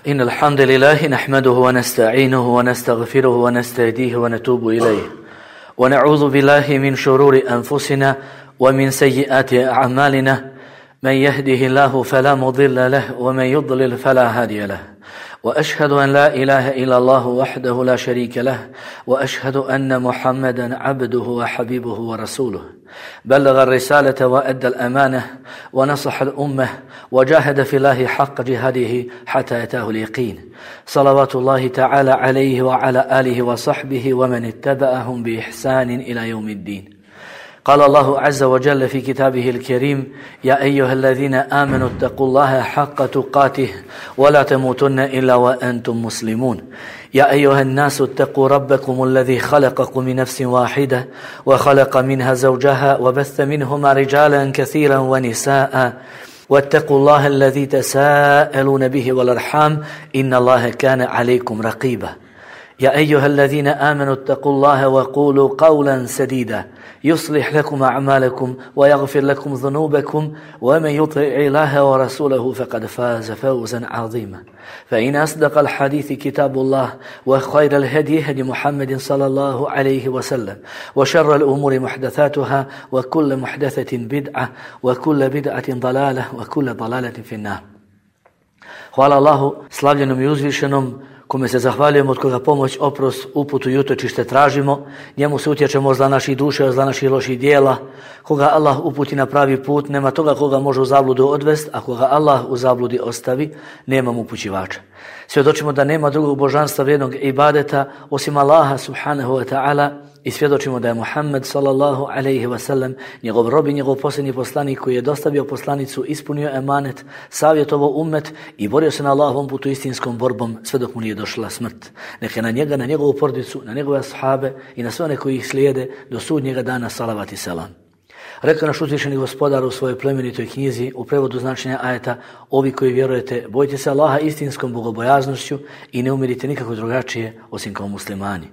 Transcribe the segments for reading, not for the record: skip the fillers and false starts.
إن الحمد لله نحمده ونستعينه ونستغفره ونستهديه ونتوب إليه ونعوذ بالله من شرور أنفسنا ومن سيئات أعمالنا من يهده الله فلا مضل له ومن يضلل فلا هادي له وأشهد أن لا إله إلا الله وحده لا شريك له وأشهد أن محمدا عبده وحبيبه ورسوله بلغ الرسالة وأدى الأمانة ونصح الأمة وجاهد في الله حق جهاده حتى أتاه اليقين صلوات الله تعالى عليه وعلى آله وصحبه ومن اتبعهم بإحسان إلى يوم الدين. قال الله عز وجل في كتابه الكريم: يا أيها الذين آمنوا اتقوا الله حق تقاته ولا تموتن إلا وأنتم مسلمون. يا أيها الناس اتقوا ربكم الذي خلقكم من نفس واحدة وخلق منها زوجها وبث منهما رجالا كثيرا ونساء واتقوا الله الذي تساءلون به والأرحام إن الله كان عليكم رقيبا. يا أيها الذين آمنوا اتقوا الله وقولوا قولا سديدا يصلح لكم أعمالكم ويغفر لكم ذنوبكم ومن يطع الله ورسوله فقد فاز فوزا عظيما. فإن أصدق الحديث كتاب الله وخير الهدي هدي محمد صلى الله عليه وسلم وشر الأمور محدثاتها وكل محدثة بدعة وكل بدعة ضلالة وكل ضلالة في النار. Hvala Allahu slavljenom i uzvišenom, kome se zahvaljujemo, od koga pomoć, oprost, uputu i utočište tražimo. Njemu se utječemo od zla naših duša, od zla naših loših dijela. Koga Allah uputi na pravi put, nema toga koga može u zabludu odvest, a koga Allah u zabludi ostavi, nema mu upućivača. Svjedočimo da nema drugog božanstva vrijednog ibadeta osim Allaha subhanahu wa ta'ala i svjedočimo da je Muhammed sallallahu alaihi wa sallam njegov rob i njegov posljednji poslanik koji je dostavio poslanicu, ispunio emanet, savjetovao ummet i borio se na Allahovom putu istinskom borbom sve dok mu nije došla smrt. Neka na njega, na njegovu porodicu, na njegove ashabe i na sve one koji ih slijede do sudnjega dana salavat i selam. Rekao naš uzvišeni gospodar u svojoj plemenitoj knjizi u prevodu značenja ajeta: ovi koji vjerujete, bojite se Allaha istinskom bogobojaznošću i ne umirite nikako drugačije osim kao muslimani.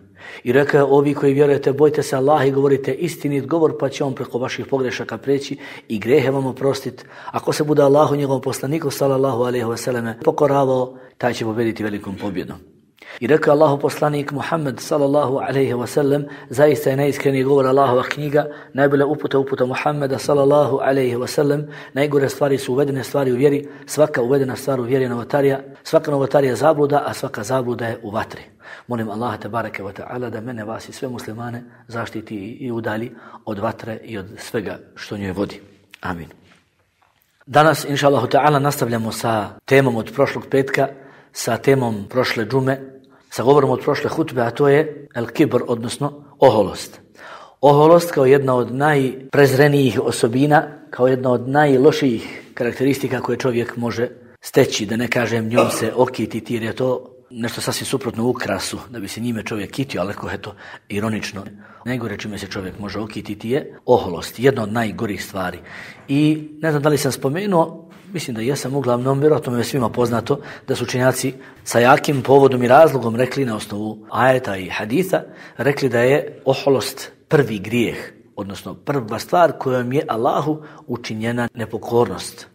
I rekao je: ovi koji vjerujete, bojite se Allaha i govorite istinit govor, pa će on preko vaših pogrešaka preći i grehe vam oprostiti. Ako se bude Allahu njegovom poslaniku sallallahu alejhi ve selleme pokoravao, taj će pobjediti velikom pobjedom. I rekao Allahu poslanik Muhammed sallallahu alejhi ve sellem: zaista je najiskreniji govor Allahova knjiga, najbolja uputa Muhammeda sallallahu alejhi ve sellem. Najgore stvari su uvedene stvari u vjeri, svaka uvedena stvar u vjeri je novotarija, svaka novotarija je zabluda, a svaka zabluda je u vatri. Molim Allaha tebareke ve taala da mene, vas i sve muslimane zaštiti i udalji od vatre i od svega što njoj vodi. Amin. Danas inshallah taala nastavljamo sa temom od prošlog petka, sa temom prošle džume, sa govorom od prošle hutbe, a to je el-kibr, odnosno oholost. Oholost kao jedna od najprezrenijih osobina, kao jedna od najlošijih karakteristika koje čovjek može steći, da ne kažem njom se okititi, jer je to nešto sasvim suprotno ukrasu, da bi se njime čovjek kitio, ali ako je to ironično. Najgore čime se čovjek može okititi je oholost, jedna od najgorih stvari. I ne znam da li sam spomenuo, mislim da jesam, uglavnom, vjerojatno mi je svima poznato da su učenjaci sa jakim povodom i razlogom rekli na osnovu ajeta i haditha, rekli da je oholost prvi grijeh, odnosno prva stvar kojom je Allahu učinjena nepokornost.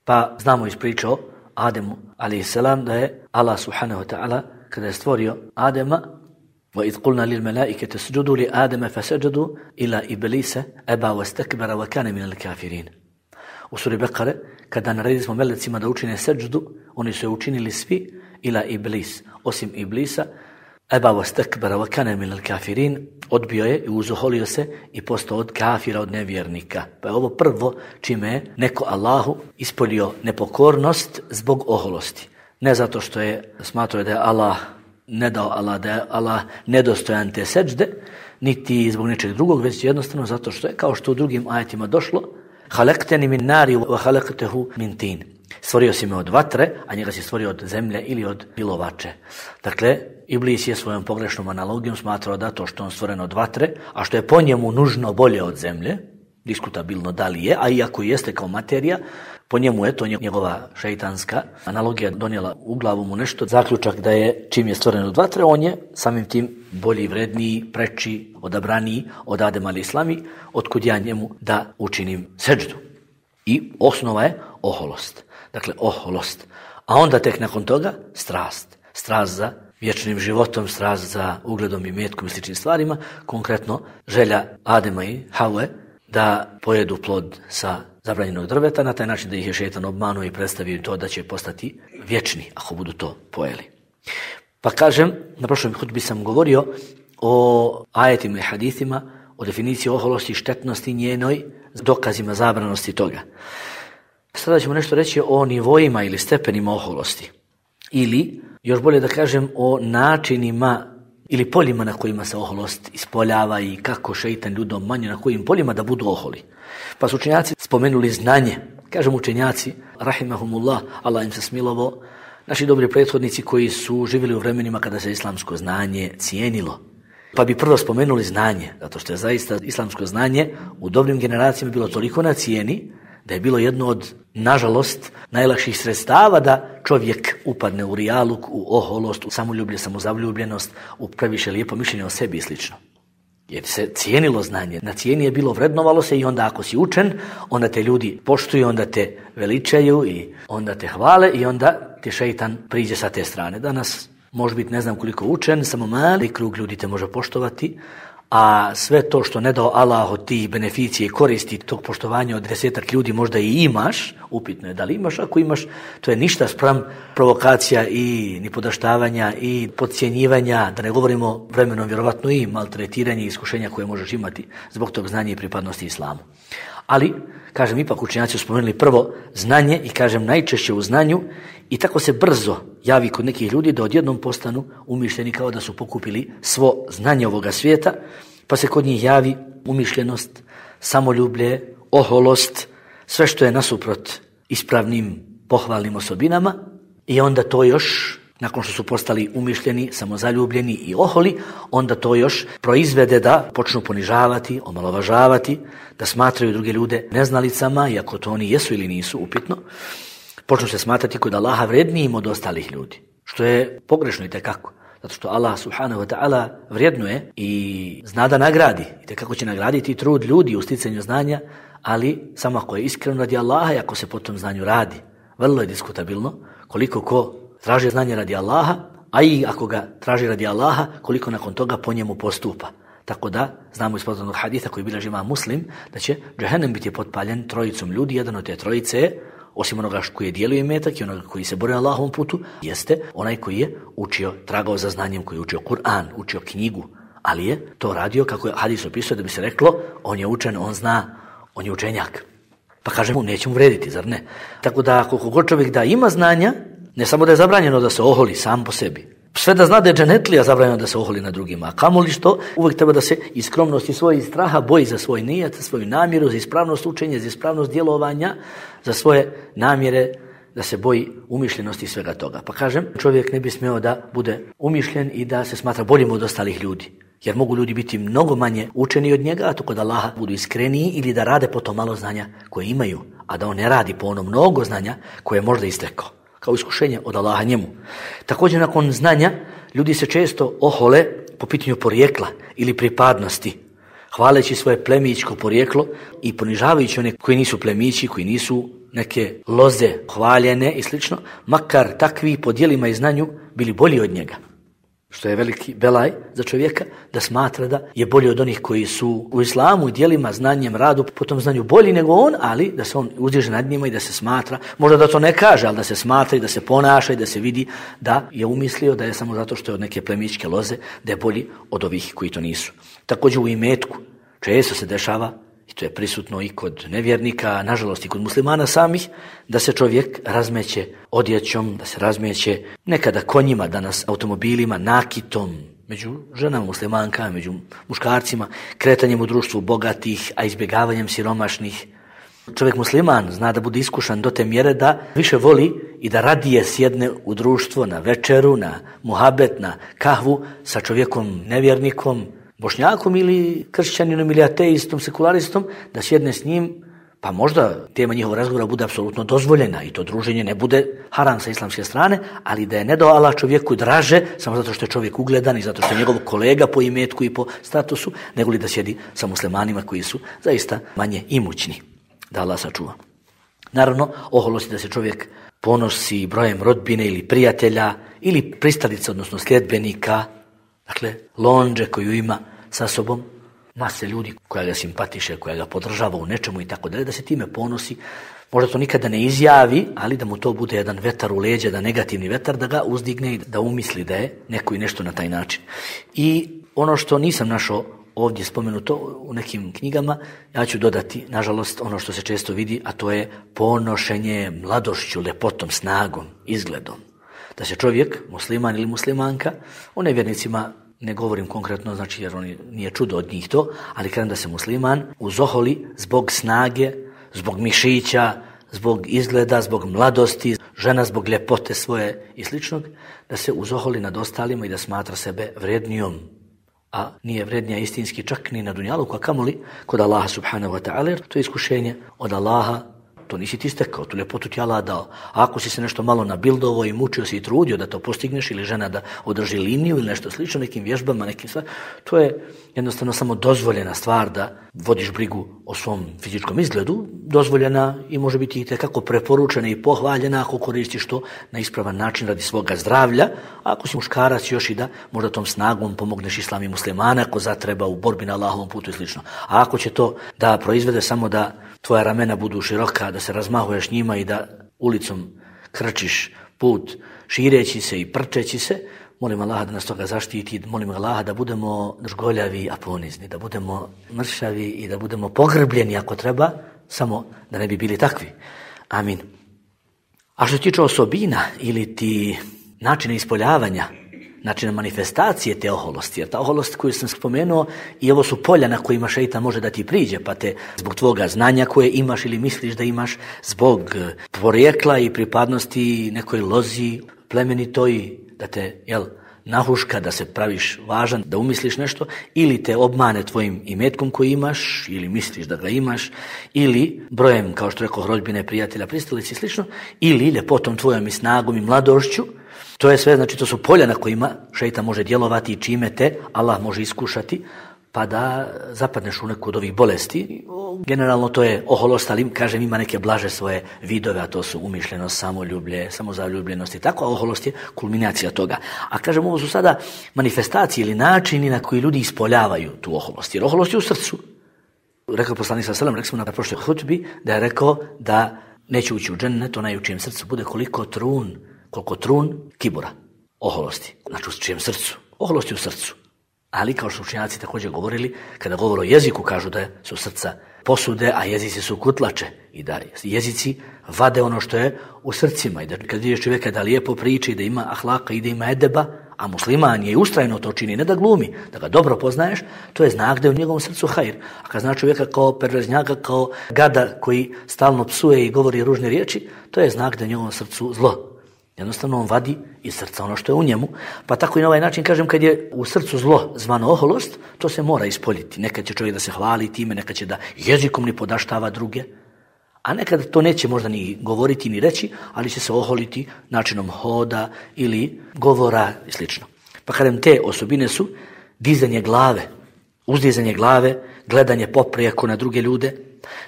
Pa znamo iz priče o Ademu a.s. da je Allah subhanahu wa ta'ala kada je stvorio Adema: وَإِذْ قُلْنَا لِلْمَلَائِكَةِ اسْجُدُوا لِآدَمَ فَسَجَدُوا إِلَّا إِبْلِيسَ أَبَى وَاسْتَكْبَرَ وَكَانَ مِنَ الْكَافِرِينَ. U suri Bekare, kada naredili smo melecima da učine seđdu, oni su je učinili svi, ila iblis, osim iblisa, eba wastakbara wa kana minal kafirin, odbio je i uzoholio se i postao od kafira, od nevjernika. Pa je ovo prvo čime je neko Allahu ispolio nepokornost zbog oholosti. Ne zato što je smatrao da je Allah ne dao Allah, da je Allah nedostojan te seđde, niti zbog nečeg drugog, već jednostavno zato što je, kao što u drugim ajetima došlo: Halakteni min nari wa halaktehu min tin. Stvorio si me od vatre, a njega si stvorio od zemlje ili od pilovače. Dakle, Iblis je svojom pogrešnom analogijom smatrao da to što on stvoren od vatre, a što je po njemu nužno bolje od zemlje, diskutabilno da li je, a iako jeste kao materija, po njemu je to njegova šeitanska analogija donijela u glavu mu nešto, zaključak da je čim je stvoren od vatre, on je samim tim bolji, vredniji, preči, odabraniji od Adema a.s. otkud ja njemu da učinim seđdu. I osnova je oholost. Dakle, oholost. A onda tek nakon toga strast. Strast za vječnim životom, strast za ugledom i metkom i sličnim stvarima. Konkretno želja Adema i Havve da pojedu plod sa zabranjenog drveta, na taj način da ih je šejtan obmanuo i predstavio to da će postati vječni ako budu to pojeli. Pa kažem, na prošlom hutbi sam govorio o ajetima i hadithima, o definiciji oholosti, štetnosti njenoj, dokazima zabranosti toga. Sada ćemo nešto reći o nivoima ili stepenima oholosti. Ili, još bolje da kažem, o načinima ili poljima na kojima se oholost ispoljava i kako šejtan ljudom manje na kojim poljima da budu oholi. Pa su učenjaci spomenuli znanje. Kažem učenjaci, rahimahumullah, Allah im se smilovao, naši dobri prethodnici koji su živjeli u vremenima kada se islamsko znanje cijenilo. Pa bi prvo spomenuli znanje, zato što je zaista islamsko znanje u dobrim generacijama bilo toliko na cijeni da je bilo jedno od, nažalost, najlakših sredstava da čovjek upadne u rijaluk, u oholost, u samoljublje, samozavljubljenost, u previše lijepo mišljenje o sebi i slično. Jer se cijenilo znanje, na cijeni je bilo, vrednovalo se i onda ako si učen, onda te ljudi poštuju, onda te veličaju i onda te hvale i onda ti šejtan priđe sa te strane. Danas može biti ne znam koliko učen, samo mali krug ljudi te može poštovati, a sve to što ne dao Allah od tih beneficije i koristi tog poštovanja od 10 ljudi možda i imaš, upitno je da li imaš, ako imaš, to je ništa spram provokacija i nipodaštavanja i podcjenjivanja, da ne govorimo vremenom vjerovatno i maltretiranje i iskušenja koje možeš imati zbog tog znanja i pripadnosti islamu. Ali, kažem, ipak učenjaci su spomenuli prvo znanje i kažem najčešće u znanju i tako se brzo javi kod nekih ljudi da odjednom postanu umišljeni kao da su pokupili svo znanje ovoga svijeta, pa se kod njih javi umišljenost, samoljublje, oholost, sve što je nasuprot ispravnim pohvalnim osobinama i onda to još, nakon što su postali umišljeni, samozaljubljeni i oholi, onda to još proizvede da počnu ponižavati, omalovažavati, da smatraju druge ljude neznalicama, iako to oni jesu ili nisu, upitno, počnu se smatrati kod Allaha vrednijim od ostalih ljudi, što je pogrešno i tekako. Zato što Allah subhanahu wa ta'ala vrijednuje i zna da nagradi, i tekako će nagraditi trud ljudi u sticanju znanja, ali samo ako je iskreno radi Allaha i ako se po tom znanju radi. Vrlo je diskutabilno koliko ko traži znanje radi Allaha, a i ako ga traži radi Allaha, koliko nakon toga po njemu postupa. Tako da, znamo iz poznanog haditha koji bilježi Imam Muslim, da će džehennem biti potpaljen trojicom ljudi, jedan od te trojice je, osim onoga koji je dijelio imetak i onoga koji se bori na Allahovom putu, jeste onaj koji je učio, tragao za znanjem, koji je učio Kur'an, učio knjigu, ali je to radio, kako je hadis opisao, da bi se reklo, on je učen, on zna, on je učenjak. Pa kažemo, neće mu vrediti, zar ne? Tako da, koliko god čovjek da ima znanja, ne samo da je zabranjeno da se oholi sam po sebi, sve da zna da je dženetlija zabranjeno da se oholi na drugima, a kamoli što uvijek treba da se iz skromnosti svojih straha boji za svoj nijet, za svoju namjeru, za ispravnost učenja, za ispravnost djelovanja, za svoje namjere, da se boji umišljenosti i svega toga. Pa kažem, čovjek ne bi smio da bude umišljen i da se smatra boljim od ostalih ljudi, jer mogu ljudi biti mnogo manje učeni od njega, a to kod Allaha budu iskreniji ili da rade po to malo znanja koje imaju, a da on ne radi po ono mnogo znanja koje je možda istekao, kao iskušenje od Allaha njemu. Također nakon znanja ljudi se često ohole po pitanju porijekla ili pripadnosti, hvaleći svoje plemićko porijeklo i ponižavajući one koji nisu plemići, koji nisu neke loze hvaljene i slično, makar takvi po djelima i znanju bili bolji od njega. Što je veliki belaj za čovjeka, da smatra da je bolji od onih koji su u islamu i djelima, znanjem, radu, po tom znanju bolji nego on, ali da se on uzdiže nad njima i da se smatra, možda da to ne kaže, ali da se smatra i da se ponaša i da se vidi da je umislio da je samo zato što je od neke plemićke loze, da je bolji od ovih koji to nisu. Također u imetku često se dešava, i to je prisutno i kod nevjernika, nažalost i kod muslimana samih, da se čovjek razmeće odjećom, da se razmeće nekada konjima, danas automobilima, nakitom, među ženama muslimankama, među muškarcima, kretanjem u društvu bogatih, a izbjegavanjem siromašnih. Čovjek musliman zna da bude iskušan do te mjere da više voli i da radije sjedne u društvo na večeru, na muhabet, na kahvu sa čovjekom nevjernikom, Bošnjakom ili kršćaninom ili ateistom, sekularistom, da sjedne s njim, pa možda tema njihova razgovora bude apsolutno dozvoljena i to druženje ne bude haram sa islamske strane, ali da je ne dao Allah čovjeku draže, samo zato što je čovjek ugledan i zato što je njegov kolega po imetku i po statusu, nego li da sjedi sa muslimanima koji su zaista manje imućni. Da Allah sačuva. Naravno, oholosti da se čovjek ponosi brojem rodbine ili prijatelja ili pristalica, odnosno sljedbenika, dakle londže koju ima sa sobom, mase ljudi koja ga simpatiše, koja ga podržava u nečemu i tako dalje, da se time ponosi. Možda to nikada ne izjavi, ali da mu to bude jedan vetar u leđa, da negativni vetar, da ga uzdigne i da umisli da je neko i nešto na taj način. I ono što nisam našao ovdje spomenuto u nekim knjigama, ja ću dodati, nažalost, ono što se često vidi, a to je ponošenje mladošću, lepotom, snagom, izgledom. Da se čovjek, musliman ili muslimanka, o nevjernicima ne govorim konkretno, znači jer oni nije čudo od njih to, ali kažem da se musliman uzoholi zbog snage, zbog mišića, zbog izgleda, zbog mladosti, žena zbog ljepote svoje i sličnog, da se uzoholi nad ostalima i da smatra sebe vrednijom, a nije vrednija istinski čak ni na dunjaluku, a kamoli kod Allaha subhanahu wa ta'ala, jer to je iskušenje od Allaha, to nisi ti stekao, tu ljepotu ti Allah dao. A ako si se nešto malo nabildovo i mučio si i trudio da to postigneš, ili žena da održi liniju ili nešto slično, nekim vježbama, nekim stvar, to je jednostavno samo dozvoljena stvar da vodiš brigu o svom fizičkom izgledu, dozvoljena i može biti i tekako preporučena i pohvaljena ako koristiš to na ispravan način radi svoga zdravlja, a ako si muškarac još i da možda tom snagom pomogneš islam i muslimana ako zatreba u borbi na Allahovom putu i slično. A ako će to da proizvede samo da tvoja ramena budu široka, da se razmahuješ njima i da ulicom krčiš put šireći se i prčeći se, molim Allaha da nas toga zaštiti, molim Allaha da budemo žgoljavi, a ponizni, da budemo mršavi i da budemo pogrbljeni ako treba, samo da ne bi bili takvi. Amin. A što se tiče osobina ili ti načina ispoljavanja, načina manifestacije te oholosti, jer ta oholost koju sam spomenuo i ovo su polja na kojima šeitan može da ti priđe, pa te zbog tvoga znanja koje imaš ili misliš da imaš, zbog porijekla i pripadnosti nekoj lozi plemenitoj, da te, nahuška, da se praviš važan, da umisliš nešto, ili te obmane tvojim imetkom koji imaš, ili misliš da ga imaš, ili brojem, kao što rekao, rodbine, prijatelja, pristalice i slično, ili ljepotom tvojom i snagom i mladošću. To je sve, znači to su polja na kojima šeitan može djelovati i čime te Allah može iskušati, pa da zapadneš u neku od ovih bolesti. Generalno to je oholost, ali kažem ima neke blaže svoje vidove, a to su umišljenost, samoljublje, samozaljubljenost i tako, a oholost je kulminacija toga. A kažem, ovo su sada manifestacije ili načini na koji ljudi ispoljavaju tu oholost, jer oholost je u srcu. Rekao poslanik sallallahu alejhi ve sellem, rekli smo na prošloj hutbi, da je rekao da neće ući u džennet onaj u čijem srcu bude koliko trun kibura, oholosti, znači u čijem srcu, oholosti u srcu. Ali kao što učenjaci također govorili, kada govore o jeziku, kažu da su srca posude, a jezici su kutlače i da jezici vade ono što je u srcima i da kad vidiš čovjeka da lijepo priča i da ima ahlaka i da ima edeba, a musliman je ustrajno to čini, ne da glumi, da ga dobro poznaješ, to je znak da je u njegovom srcu hajr. A kad zna čovjeka kao perverznjaka, kao gada koji stalno psuje i govori ružne riječi, to je znak da je u njegovom srcu zlo. Jednostavno on vadi iz srca ono što je u njemu, pa tako i na ovaj način kažem kad je u srcu zlo zvano oholost, to se mora ispoljiti. Nekad će čovjek da se hvali time, nekad će da jezikom ni podaštava druge, a nekad to neće možda ni govoriti ni reći, ali će se oholiti načinom hoda ili govora i slično. Pa kažem, te osobine su dizanje glave, uzdizanje glave, gledanje poprijeko na druge ljude,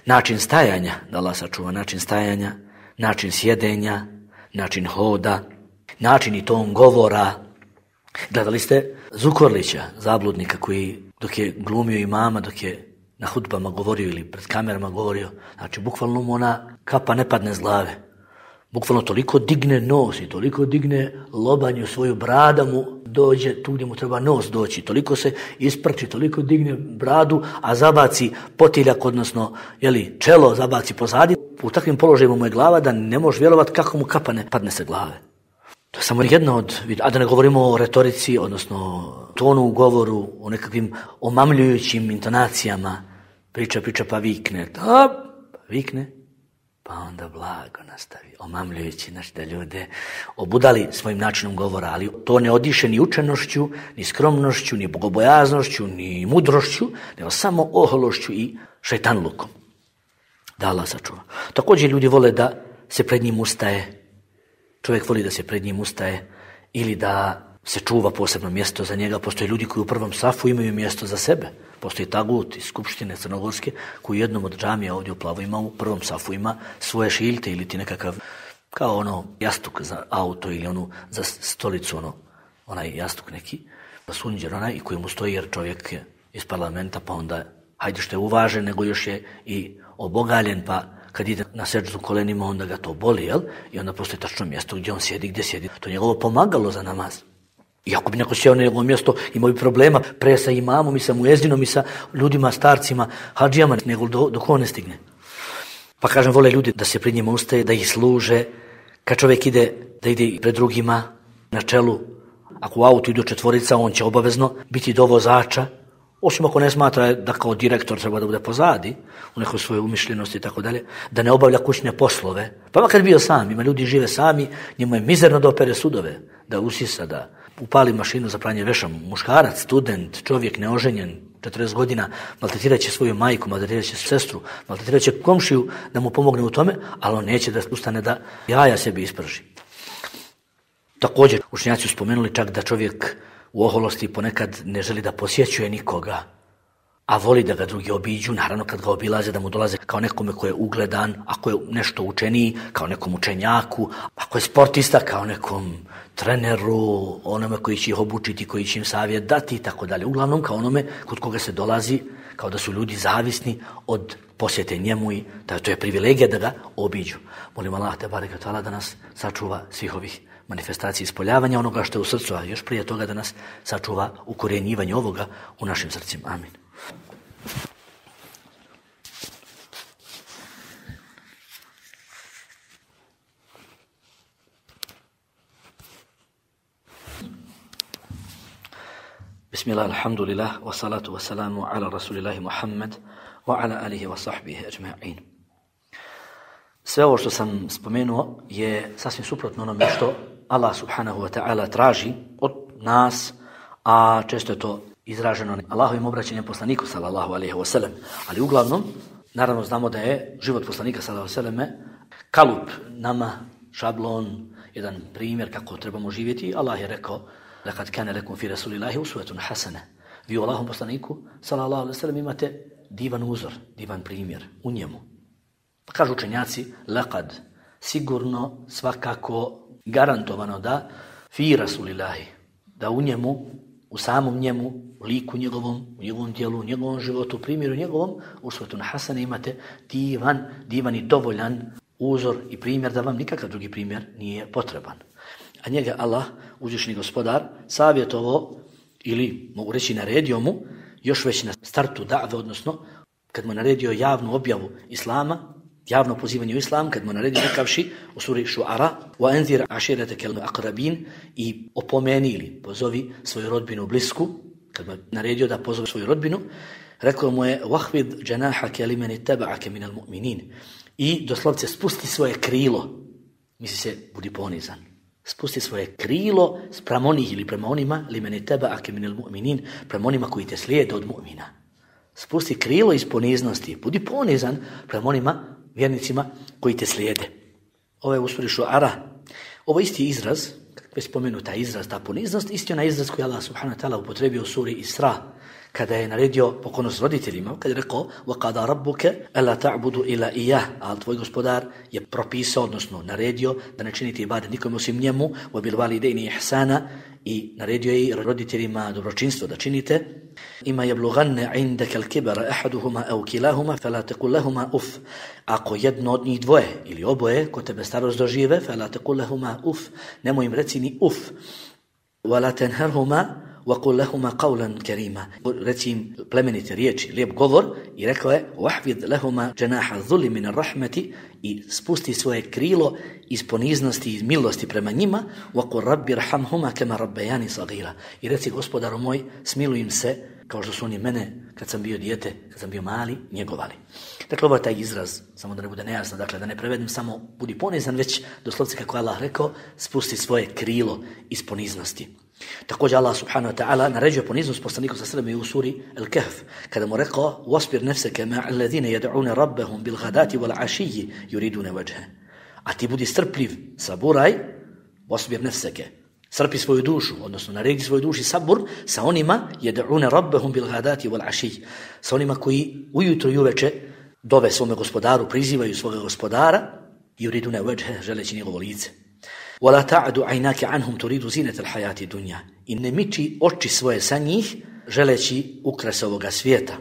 način stajanja, da Allah sačuva način stajanja, način sjedenja, način hoda, način i ton govora. Gledali ste Zukorlića, zabludnika koji dok je glumio imama, dok je na hudbama govorio ili pred kamerama govorio, znači bukvalno mu ona kapa ne padne s glave. Bukvalno toliko digne nos i toliko digne lobanju svoju brada mu dođe tu gdje mu treba nos doći. Toliko se isprči, toliko digne bradu, a zabaci potiljak, odnosno čelo zabaci pozadi. U takvim položajima mu je glava da ne možeš vjerovati kako mu kapa ne padne se glave. To je samo jedna od, a da ne govorimo o retorici, odnosno tonu u govoru, o nekakvim omamljujućim intonacijama. Priča pa vikne. Vikne. Pa onda blago nastavi, omamljujući da ljude obudali svojim načinom govora, ali to ne odiše ni učenošću, ni skromnošću, ni bogobojaznošću, ni mudrošću, nego samo ohološću i šejtanlukom. Da Allah sačuva. Također ljudi vole da se pred njim ustaje, čovjek voli da se pred njim ustaje ili da se čuva posebno mjesto za njega. Postoje ljudi koji u prvom safu imaju mjesto za sebe. Postoji tagut iz Skupštine Crnogorske koji u jednom od džamija ovdje u Plavo ima u prvom safu ima svoje šiljte ili ti nekakav kao ono jastuk za auto ili onu za stolicu, onaj jastuk neki, sunđer onaj i koji mu stoji jer čovjek je iz parlamenta, pa onda hajde što je uvažen, nego još je i obogaljen, pa kad ide na seđdu kolenima, onda ga to boli, jel? I onda postoji tačno mjesto gdje on sjedi, gdje sjedi. To je njegovo pomagalo za namaz. I ako bi neko sjeo na njegovo mjesto, imao bi problema pre sa imamom i sa muezinom i sa ljudima, starcima, hadžijama, nego dok on ne stigne. Pa kažem, vole ljudi da se pred njima ustaje, da ih služe. Kad čovjek ide, da ide pred drugima na čelu, ako u autu idu 4, on će obavezno biti do vozača, osim ako ne smatra da kao direktor treba da bude pozadi, u nekoj svojoj umišljenosti i tako dalje, da ne obavlja kućne poslove. Pa makar bio sam, ima ljudi žive sami, njemu je mizerno da opere sudove, da usisa, da upali mašinu za pranje veša. Muškarac, student, čovjek neoženjen, 40 godina, maltretirat će svoju majku, maltretirat će sestru, maltretirat će komšiju da mu pomogne u tome, ali on neće da ustane da jaja sebi isprži. Također, učenjaci su spomenuli čak da čovjek u oholosti ponekad ne želi da posjećuje nikoga, a voli da ga drugi obiđu, naravno kad ga obilaze da mu dolaze kao nekome ko je ugledan, ako je nešto učeniji, kao nekom učenjaku, ako je sportista, kao nekom treneru, onome koji će ih obučiti, koji će im savjet dati i tako dalje. Uglavnom kao onome kod koga se dolazi, kao da su ljudi zavisni od posjete njemu i da to je privilegija da ga obiđu. Molim Allah te bareke taala da nas sačuva svih ovih manifestacija ispoljavanja onoga što je u srcu, a još prije toga da nas sačuva ukorjenjivanje ovoga u našim srcima. Amin. Bismillah, alhamdulillah, wa salatu wa salamu ala rasulillahi Muhammad wa ala alihi wa sahbihi ajma'in. Sve ovo što sam spomenuo je sasvim suprotno onome što Allah subhanahu wa ta'ala traži od nas, a često je to izraženo Allahovim obraćanjem poslaniku sallallahu alejhi ve sellem. Ali uglavnom, naravno znamo da je život poslanika sallallahu alejhi ve selleme kalup nama, šablon, jedan primjer kako trebamo živjeti. Allah je rekao: "Laqad kana lakum fi rasulillahi uswatun hasana." Vi u Allahovom poslaniku sallallahu alejhi ve sellem imate divan uzor, divan primjer u njemu. Pa kažu učenjaci, laqad, sigurno, svakako, garantovano da fi rasulillahi, da u njemu, u samom njemu, u liku njegovom, u njegovom djelu, u njegovom životu, primjeru njegovom, uswatun hasana, imate divan i dovoljan uzor i primjer da vam nikakav drugi primjer nije potreban. A njega Allah, uzvišeni gospodar, savjetovao ili mogu reći naredio mu još već na startu da've, odnosno kad mu naredio javnu objavu islama, javno pozivanje u islam, kad mu naredio rekavši u suri Šuara: "Wa anzir ashiratakal aqrabin", i opomeni ili pozovi svoju rodbinu blisku. Kad mu naredio da pozove svoju rodbinu, rekao mu je: "Wahfid janahaka liman ittaba'aka minal mu'minin", i doslovce spusti svoje krilo, misli se budi ponizan. Spusti svoje krilo spram onih ili prema onima, liman ittaba'aka minal mu'minin, prema onima koji te slijede od mu'mina. Spusti krilo iz poniznosti, budi ponizan prema onima, vjernicima koji te slijede. Ovo je u suri Šuara. Ovo isti izraz, već spomenuta izraz, ta poniznost, isti onaj izraz koji Allah subhanahu wa ta'ala upotrebio u suri Isra, kada je naredio pokornost roditeljima, kada je rekao: "Wa qada rabbuka alla ta'budu illa iyyah", al tvoj gospodar je propisao, odnosno naredio da ne činite ibadet nikome osim njemu, wa bil walidayni ihsana, i naredio je i roditeljima dobročinstvo da činite. "Ima yablughanna 'indaka al-kibara ahaduhuma aw kilahuma fala taqul lahumā uff", ako jedno od njih dvoje ili oboje kod tebe starost dožive, fala taqul lahumā uff, nemoj im reci ni uff, wala tanharhuma وَقُلْ لَهُمَا قَوْلًا كَرِيمًا, reci im plemenite riječi, lijep govor, i rekao je: وَحْفِذْ لَهُمَا جَنَاحَ الذُّلِّ مِنَ الرَّحْمَةِ, i spusti svoje krilo iz poniznosti i milosti prema njima. وَقُلْ رَبِّ رَحَمْهُمَا كَمَا رَبَّيَانِ صَغِيرًا, i reci: gospodaru moj, smiluj im se kao što su oni mene kad sam bio dijete, kad sam bio mali, njegovali. Dakle, ovo je taj izraz, samo da ne bude nejasno, dakle da ne prevedem samo budi ponizan, već doslovce kako Allah rekao, spusti svoje krilo iz poniznosti. Također Allah subhanahu wa ta'ala naređuje poniznost poslaniku sa sreme u suri Al-Kahf, kada mu rekao: "Wasbir nafsaka ma'a alladhina yad'una rabbahum bil ghadati wal 'ashiyyi yuriduna wajha", a ti budi strpljiv, saburaj, wasbir nafsaka, strpi svoju dušu, odnosno naredi svojoj duši sabur sa onima yad'una rabbahum bil ghadati wal 'ashiyyi, sa onima koji ujutro i uveče dove svome gospodaru, prizivaju svoga gospodara, yuriduna wajha, želeći njegovo lice. وَلَا تَعْدُ عَيْنَاكَ عَنْهُمْ تُرِيدُ زِينَةَ الْحَيَاةِ الدُّنْيَا. I ne miči oči svoje sa njih, želeći ukras ovoga svijeta.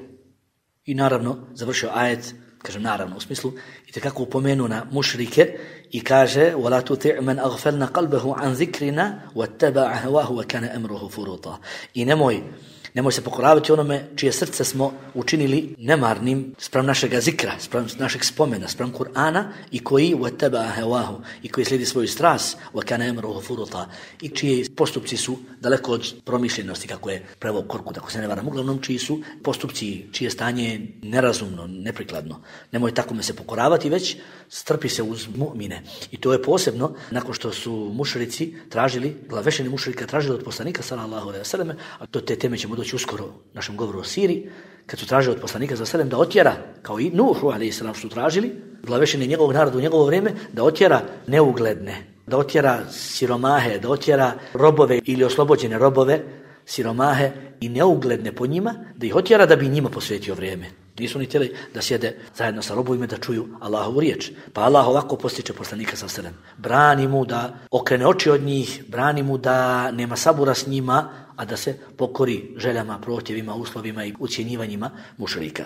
I naravno, završio ajet, kaže naravno u smislu, itekako upomenu na mušrike i kaže وَلَا تُطِعْ مَنْ أَغْفَلْنَا قَلْبَهُ عَنْ ذِكْرِنَا وَاتَّبَعَ هَوَاهُ وَكَانَ أَمْرُهُ فُرُوطًا. I nemoj se pokoravati onome čije srce smo učinili nemarnim spram našega zikra, spram našeg spomena, spram Kur'ana i koji وَاتَّبَعَ هَوَاهُ i koji slijedi svoju strast وَكَانَ أَمْرُهُ فُرُوطًا i čiji postupci su daleko od promišljenosti, kako je preveo Korkut, tako se ne varam, uglavnom čiji su postupci, čije stanje je nerazumno, neprikladno. Nemoj takome se pokoravati, već strpi se uz mu'mine. I to je posebno nakon što su mušrici tražili, glavešeni mušrika tražili od poslanika sallallahu alejhi ve selleme, a to te teme ćemo doći uskoro u našem govoru o Siriji, kad su tražili od poslanika sallallahu alejhi ve sellem da otjera, kao i Nuhu alejhi selam su tražili, glavešeni njegovog naroda u njegovo vrijeme, da otjera neugledne, da otjera siromahe, da otjera robove ili oslobođene robove, siromahe i neugledne po njima, da ih otjera da bi njima posvetio vrijeme. Nisu ni htjeli da sjede zajedno sa robovima da čuju Allahovu riječ. Pa Allah ovako postiče poslanika sallallahu alejhi ve sellem. Brani mu da okrene oči od njih, brani mu da nema sabura s njima, a da se pokori željama, prohtjevima, uslovima i ucjenjivanjima mušrika.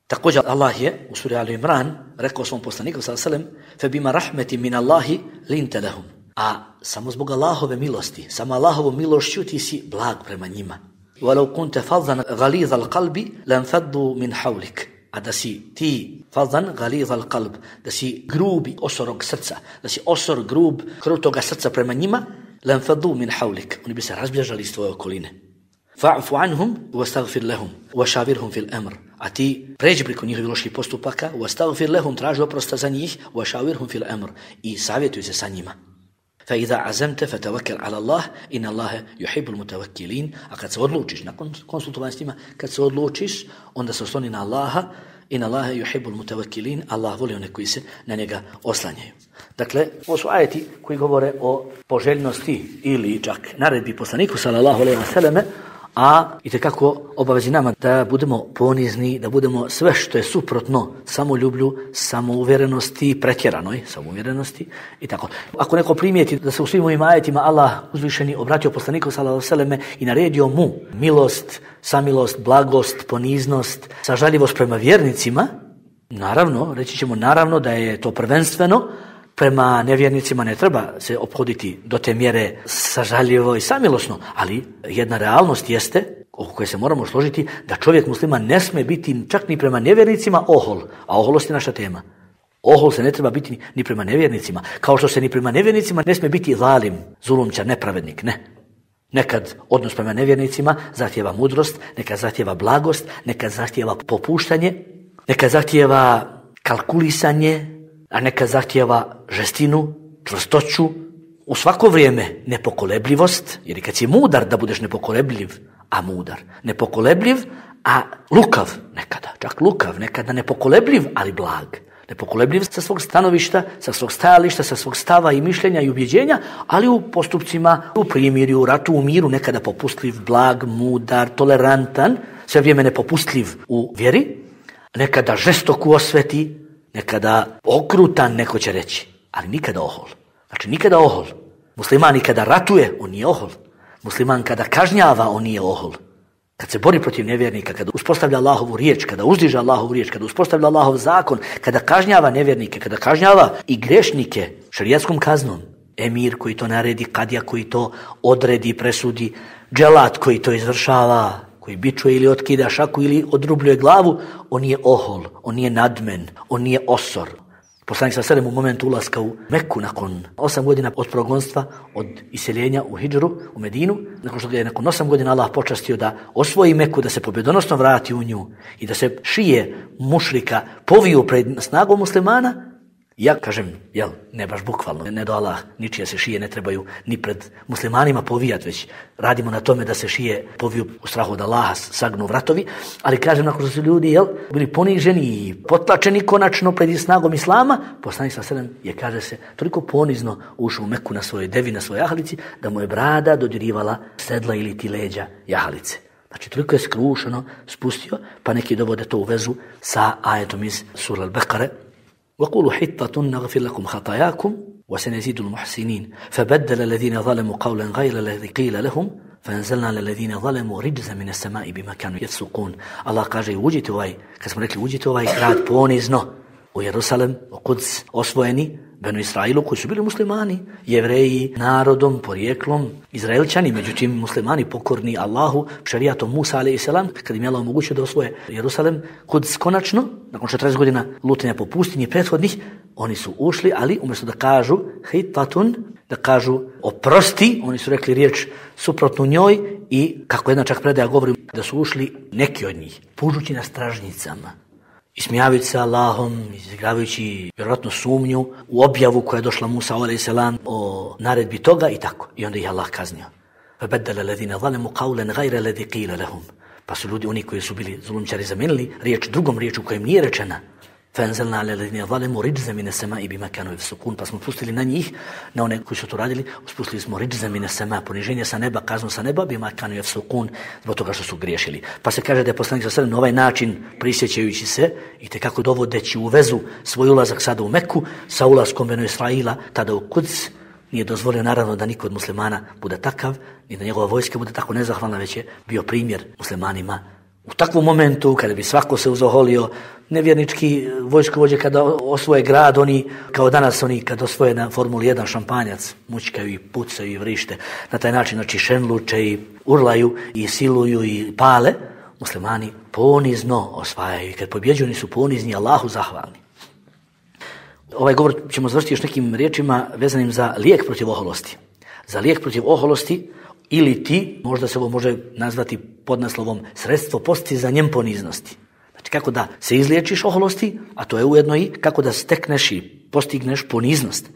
Također Allah je u suri Ali Imran rekao svom poslaniku sallallahu alejhi ve sellem: "Febima rahmetin min Allahi linta lahum." A samo zbog Allahove milosti, samo Allahovom milošću ti si blag prema njima. وَلَوْ كُنْتَ فَضًّا غَلِيظَ الْقَلْبِ لَنْفَضُّوا مِنْ حَوْلِكَ. A da si ti فَضًّا غَلِيظَ الْقَلْبِ, da si grubi, osorog srca, da si osor, grub, krutoga srca prema njima, لَنْفَضُّوا مِنْ حَوْلِكَ. Oni bi se razbježali iz tvoje okoline. فَعْفُ عَنْهُمْ وَاسْتَغْفِرْ لَهُمْ وَشَاوِرْهُمْ فِي الْأَمْرِ. A ti pređi preko njihovih loših postupaka, وَاسْتَغْفِرْ لَهُمْ, traži oprosta za njih, وَشَاوِرْهُمْ فِي الْأَمْرِ, i savjetuj se sa njima. فإذا عزمت فتوكل على الله إن الله يحب المتوكلين. A kad se odlučiš, nakon konsultovanja s njima, kad se odlučiš, onda se osloni na Allaha. إن الله يحب المتوكلين. Allah voli one koji se na njega oslanjaju. Dakle, ovo su ajeti koji govore o poželjnosti ili čak naredbi poslaniku sallallahu alejhi ve selleme, a itekako obavezi nama da budemo ponizni, da budemo sve što je suprotno samoljublju, samouvjerenosti, pretjeranoj samouvjerenosti i tako. Ako neko primijeti da se u svim ovim ajetima Allah uzvišeni obratio poslaniku sallallahu alejhi ve selleme i naredio mu milost, samilost, blagost, poniznost, sažaljivost prema vjernicima, naravno, reći ćemo naravno da je to prvenstveno prema nevjernicima, ne treba se ophoditi do te mjere sažaljivo i samilosno, ali jedna realnost jeste, oko koje se moramo složiti, da čovjek musliman ne sme biti čak ni prema nevjernicima ohol, a oholost je naša tema. Ohol se ne treba biti ni prema nevjernicima, kao što se ni prema nevjernicima ne sme biti zalim, zulumčar, nepravednik, ne. Nekad odnos prema nevjernicima zahtijeva mudrost, nekad zahtijeva blagost, nekad zahtijeva popuštanje, nekad zahtijeva kalkulisanje, a neka zahtijeva žestinu, čvrstoću, u svako vrijeme nepokolebljivost, jer kad si mudar da budeš nepokolebljiv, a mudar, nepokolebljiv, a lukav nekada, čak lukav, nekada nepokolebljiv, ali blag. Nepokolebljiv sa svog stanovišta, sa svog stajališta, sa svog stava i mišljenja i ubjeđenja, ali u postupcima, u primirju, u ratu, u miru, nekada popustljiv, blag, mudar, tolerantan, sve vrijeme nepopustljiv u vjeri, nekada žestok u osveti, nekada okrutan, neko će reći, ali nikada ohol. Znači nikada ohol. Musliman kada ratuje, on nije ohol. Musliman kada kažnjava, on nije ohol. Kad se bori protiv nevjernika, kada uspostavlja Allahovu riječ, kada uzdiže Allahovu riječ, kada uspostavlja Allahov zakon, kada kažnjava nevjernike, kada kažnjava i grešnike šerijatskom kaznom, emir koji to naredi, kadija koji to odredi, presudi, dželat koji to izvršava, koji bičuje ili otkida šaku ili odrubljuje glavu, on je ohol, on nije nadmen, on nije osor. Poslanik sallallahu alejhi ve sellem u momentu ulaska u Meku nakon 8 godina od progonstva, od iseljenja u Hidžru, u Medinu, nakon što ga je nakon 8 godina Allah počastio da osvoji Meku, da se pobjedonosno vrati u nju i da se šije mušrika poviju pred snagom muslimana, ja kažem, ne baš bukvalno, ne do Allah, ničije se šije ne trebaju ni pred muslimanima povijat, već radimo na tome da se šije poviju u strahu od Allaha, sagnu vratovi, ali kažem, nakon što su ljudi bili poniženi i potlačeni konačno pred snagom Islama, poslanik sallallahu alejhi ve sellem je, kaže se, toliko ponizno ušao u Meku na svojoj devi, na svojoj jahalici, da mu je brada dodirivala sedla ili ti leđa jahalice. Znači, toliko je skrušeno spustio, pa neki dovode to u vezu sa ajetom iz Sura Al-Bekare, وقولوا حطة نغفر لكم خطاياكم وسنزيد المحسنين فبدل الذين ظلموا قولا غير الذي قيل لهم فانزلنا على الذين ظلموا رجزا من السماء بما كانوا يفسقون. Allah kaže uđite kad smo rekli uđite grad ponizno u Jerusalem, u Kuds, osvojeni Benu Israilu koji su bili muslimani, Jevreji, narodom, porijeklom, Izraelčani, međutim muslimani pokorni Allahu, šerijatom Musa a.s. kad im je Allah omogućio da osvoje Jerusalem, Kuds konačno, nakon 40 godina lutanja po pustinji prethodnih, oni su ušli, ali umjesto da kažu hitatun, da kažu oprosti, oni su rekli riječ suprotnu njoj i kako jedna čak predaja govori da su ušli neki od njih, pužući na stražnicama, ismijavajući se Allahom, izigravajući vjerojatno sumnju u objavu koja je došla Musa a.s. o naredbi toga i tako. I onda ih Allah kaznio. فَبَدَّلَ الَّذِينَ ظَلَمُوا قَوْلًا غَيْرَ الَّذِي قِيلَ لَهُمْ. Pa su ljudi, oni koji su bili zulumčari, zamenili riječ drugom riječu koja im nije rečena. فَأَنزَلْنَا عَلَى الَّذِينَ ظَلَمُوا رِجْزًا مِنَ السَّمَاءِ بِمَا كَانُوا يَفْسُقُونَ. Pa smo pustili na njih, na one koji su to radili, spustili smo riđza mine sema, poniženje sa neba, kaznu sa neba, bima kanu yafsukun, zbog toga što su griješili. Pa se kaže da je poslanik sallallahu alejhi ve sellem na ovaj način prisjećajući se i tekako dovodeći u vezu svoj ulazak sada u Meku sa ulaskom Benu Israila, tada u Kuds, nije dozvolio naravno da niko od muslimana bude takav, ni da njegova vojska bude tako nezahvalna, već je bio primjer muslimanima. U takvom momentu, kada bi svako se uzoholio, nevjernički vojskovođe kada osvoje grad, oni, kao danas oni kada osvoje na Formuli 1 šampanjac, mučkaju i pucaju i vrište, na taj način, znači šenluče i urlaju i siluju i pale, muslimani ponizno osvajaju i kad pobjeđuju oni su ponizni, Allahu zahvalni. Ovaj govor ćemo završiti još nekim riječima vezanim za lijek protiv oholosti. Za lijek protiv oholosti ili ti, možda se ovo može nazvati podnaslovom sredstvo postizanjem poniznosti. Znači kako da se izliječiš oholosti, a to je ujedno i kako da stekneš i postigneš poniznost.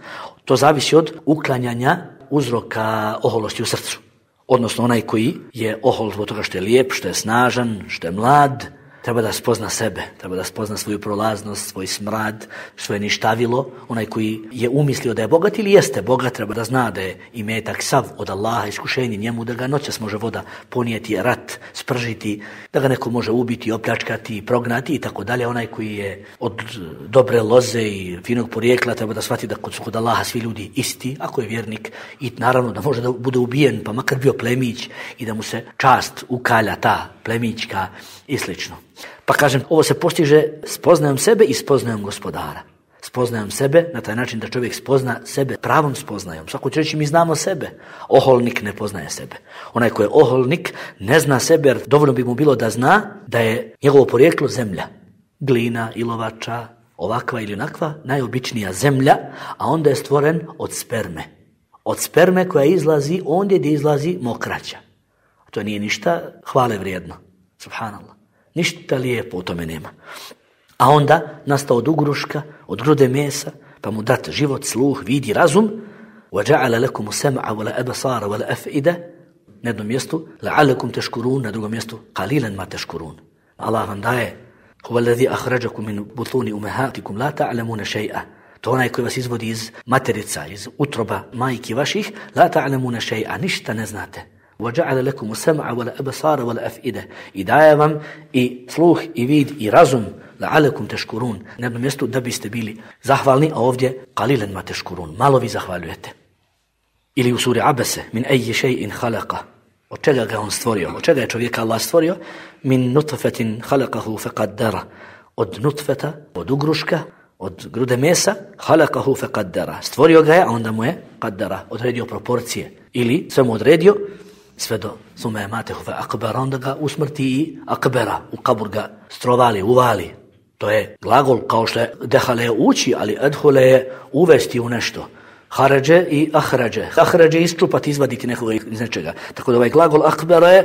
To zavisi od uklanjanja uzroka oholosti u srcu. Odnosno onaj koji je ohol zbog toga što je lijep, što je snažan, što je mlad, treba da spozna sebe, treba da spozna svoju prolaznost, svoj smrad, svoje ništavilo. Onaj koji je umislio da je bogat ili jeste bogat, treba da zna da je imetak sav od Allaha, iskušenje njemu, da ga noćas može voda ponijeti, rat, spržiti, da ga neko može ubiti, opljačkati, prognati i tako dalje. Onaj koji je od dobre loze i finog porijekla treba da shvati da kod Allaha svi ljudi isti, ako je vjernik, i naravno da može da bude ubijen, pa makar bio plemić i da mu se čast ukalja ta plemićka i slično. Pa kažem, ovo se postiže spoznajom sebe i spoznajom gospodara. Spoznajom sebe na taj način da čovjek spozna sebe pravom spoznajom. Svako će reći mi znamo sebe. Oholnik ne poznaje sebe. Onaj ko je oholnik ne zna sebe, jer dovoljno bi mu bilo da zna da je njegovo porijeklo zemlja. Glina, ilovača, ovakva ili onakva, najobičnija zemlja, a onda je stvoren od sperme. Od sperme koja izlazi ondje gdje izlazi mokraća. To nije ništa hvale vrijedno. Subhanallah. Ništa lijepo u tome nema. A onda nastao od ugruška, od grude mesa, pa mu dat život, sluh, vidi, razum. وَجَعَلَ لَكُمُ سَمْعَ وَلَأَبَصَارَ وَلَأَفْئِدَ. Na jednom mjestu لَعَلَكُمْ تَشْكُرُونَ, na drugom mjestu قَلِيلًا مَا تَشْكُرُونَ. Allah vam daje هُوَ الَّذِي أَخْرَجَكُمْ مِنْ بُطُونِ أُمَهَاتِكُمْ لَا تَعْلَمُونَ شَيْئًا. To onaj koji vas izvodi iz materica, iz utroba majki vaših, لَا تَعْلَمُونَ شَيْئًا, ništa ne znate. وَجَعَلَ لَكُمُ السَّمْعَ وَلَأَبْصَارَ وَلَأَفْئِدَ. I daje vam i sluh i vid i razum, لَعَلَكُمْ تَشْكُرُونَ, na jednom mjestu da biste bili zahvalni, a ovdje قَلِيلًا مَا تَشْكُرُونَ, malo vi zahvaljujete. Ili u suri Abese, min أَيِّ شَيْءٍ خَلَقَ, od čega ga on stvorio, od čega je čovjeka Allah stvorio, min nutfetin خَلَقَهُ فَقَدَّرَ, od nutfeta, od ugruška, od grude mesa, خَلَقَهُ فَقَدَّرَ, stvorio ga je, a onda mu je qaddara, odredio proporcije, ili sve mu odredio, sve do sume matehu fe akbera, onda ga usmrti i akbera, u kabur ga strovali, uvali. To je glagol kao što je dehale je ući, ali edhule je uvesti u nešto. Haređe i ahređe. Ahređe je isčupati, izvaditi nekoga iz nečega. Tako da ovaj glagol akbera je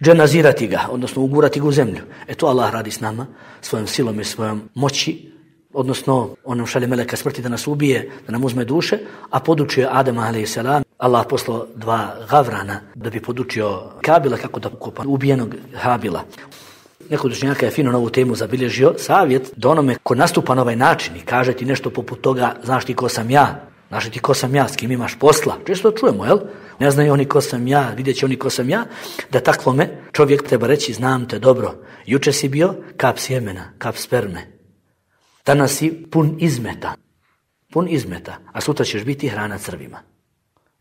dženazirati ga, odnosno ugurati ga u zemlju. To Allah radi s nama, svojom silom i svojom moći, odnosno on nam šalje meleka smrti da nas ubije, da nam uzme duše, a podučio Adama a.s. Allah poslao 2 gavrana da bi podučio Kabila kako da kopa ubijenog Habila. Neko od učenjaka je fino na ovu temu zabilježio savjet da onome ko nastupa na ovaj način i kaže ti nešto poput toga, znaš ti ko sam ja, znaš ti ko sam ja, s kim imaš posla. Često to čujemo, jel? Ne znaju oni ko sam ja, vidjet će oni ko sam ja, da takvome čovjek treba reći znam te dobro. Juče si bio kap sjemena, kap sperme. Danas si pun izmeta, a sutra ćeš biti hrana crvima.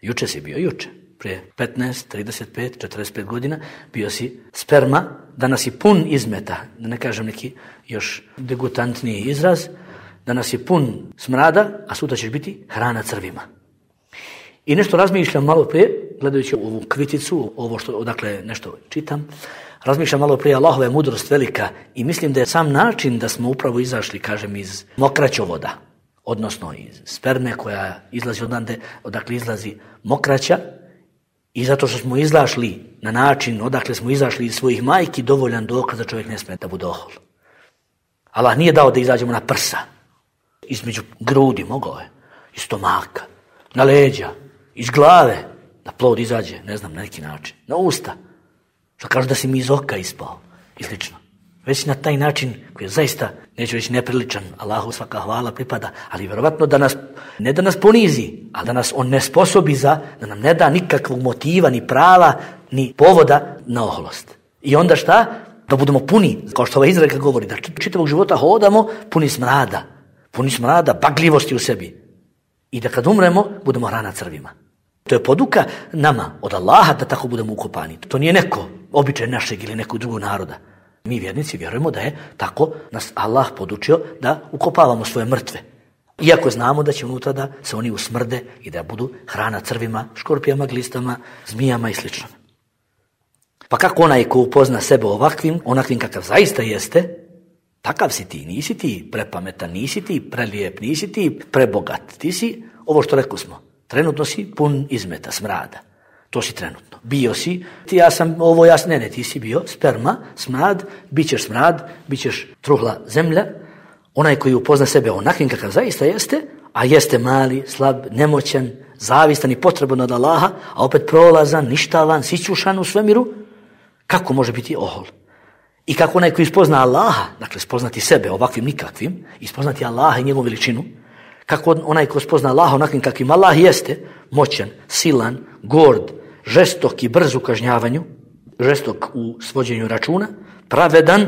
Juče si bio, prije 15, 35, 45 godina bio si sperma, danas si pun izmeta, da ne kažem neki još degutantniji izraz, danas si pun smrada, a sutra ćeš biti hrana crvima. I nešto razmišljam malo prije, gledajući ovu kriticu, ovo što odakle nešto čitam, razmišljam malo prije, Allahova je mudrost velika i mislim da je sam način da smo upravo izašli, kažem, iz mokraćovoda, odnosno iz sperme koja izlazi odakle izlazi mokraća, i zato što smo izašli na način odakle smo izašli iz svojih majki, dovoljan dokaz da čovjek ne smije da bude ohol. Allah nije dao da izađemo na prsa, između grudi, mogao je, iz stomaka, na leđa, iz glave, da plod izađe, ne znam, na neki način, na usta, što kažu da si mi iz oka ispao i slično. Već na taj način koji je zaista, neću reći nepriličan, Allahu svaka hvala pripada, ali vjerovatno ne da nas ponizi, ali da nas on ne sposobi da nam ne da nikakvog motiva, ni prava, ni povoda na oholost. I onda šta? Da budemo puni, kao što ova izreka govori, da čitavog života hodamo puni smrada, bagljivosti u sebi. I da kad umremo, budemo hrana crvima. To je poduka nama od Allaha da tako budemo ukopani. To nije neko običaj našeg ili nekog drugog naroda. Mi vjernici vjerujemo da je tako nas Allah podučio da ukopavamo svoje mrtve. Iako znamo da će unutra da se oni usmrde i da budu hrana crvima, škorpijama, glistama, zmijama i sl. Pa kako onaj ko upozna sebe onakvim kakav zaista jeste, takav si ti, nisi ti prepametan, nisi ti prelijep, nisi ti prebogat, ti si, ovo što rekli smo, trenutno si pun izmeta, smrada. To si trenutno. Bio si, ti si bio sperma, smrad, bit ćeš truhla zemlja, onaj koji upozna sebe onakvim kakav zaista jeste, a jeste mali, slab, nemoćan, zavistan i potreban od Allaha, a opet prolazan, ništavan, sićušan u svemiru, kako može biti ohol? I kako onaj koji spozna Allaha, dakle spoznati sebe ovakvim nikakvim, i spoznati Allaha i njegovu veličinu, kako onaj ko spozna Allaha onakvim kakvim Allah jeste, moćan, silan, gord, žestok i brz u kažnjavanju, žestok u svođenju računa, pravedan,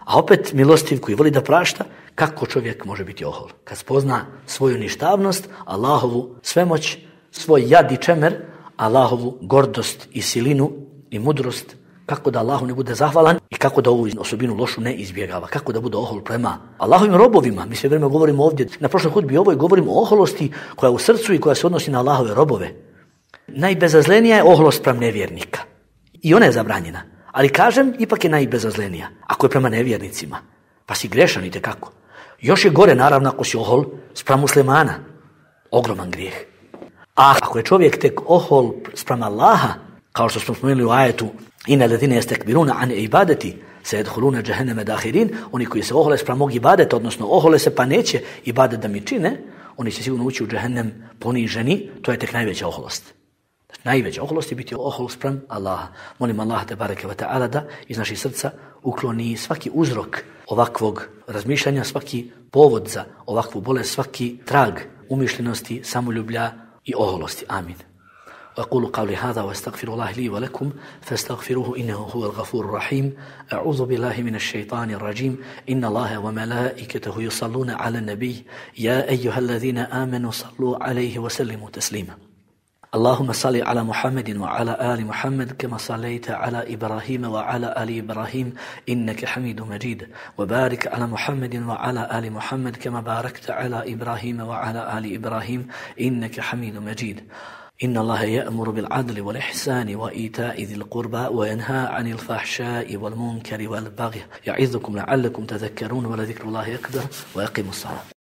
a opet milostiv koji voli da prašta, kako čovjek može biti ohol? Kad spozna svoju ništavnost, Allahovu svemoć, svoj jad i čemer, Allahovu gordost i silinu i mudrost, kako da Allahu ne bude zahvalan i kako da ovu osobinu lošu ne izbjegava, kako da bude ohol prema Allahovim robovima. Mi sve vrijeme govorimo ovdje, na prošloj hudbi ovoj govorimo o oholosti koja je u srcu i koja se odnosi na Allahove robove. Najbezazlenija je oholost prema nevjernika. I ona je zabranjena. Ali kažem, ipak je najbezazlenija. Ako je prema nevjernicima, pa si grešan itekako. Još je gore, naravno, ako si ohol spram muslimana. Ogroman grijeh. A ako je čovjek tek ohol spram Allaha, kao što smo spomenuli u ajetu, inna ladhina yastakbiruna an ibadati sayadkhuluna jahannama dakhirin, oni koji se ohole spram mog ibadeta, odnosno ohole se pa neće ibadet da mi čine, oni će sigurno ući u džehennem poniženi, to je tek najveća oholost. Najveća oholost je biti ohol spram Allaha. Molim Allaha te bareke ve taala da iz naših srca ukloni svaki uzrok ovakvog razmišljanja, svaki povod za ovakvu bolest, svaki trag umišljenosti, samoljublja i oholosti. Amin. وأقول قولي هذا وأستغفر الله لي ولكم فاستغفروه إنه هو الغفور الرحيم. أعوذ بالله من الشيطان الرجيم. إن الله وملائكته يصلون على النبي يا أيها الذين آمنوا صلوا عليه وسلموا تسليما. اللهم صل على محمد وعلى آل محمد كما صليت على إبراهيم وعلى آل إبراهيم إنك حميد مجيد. وبارك على محمد وعلى آل محمد كما باركت على إبراهيم وعلى آل إبراهيم إنك حميد مجيد. إن الله يأمر بالعدل والإحسان وإيتاء ذي القربى وينهى عن الفحشاء والمنكر والبغي يعظكم لعلكم تذكرون ولذكر الله أكبر ويقيموا الصلاة.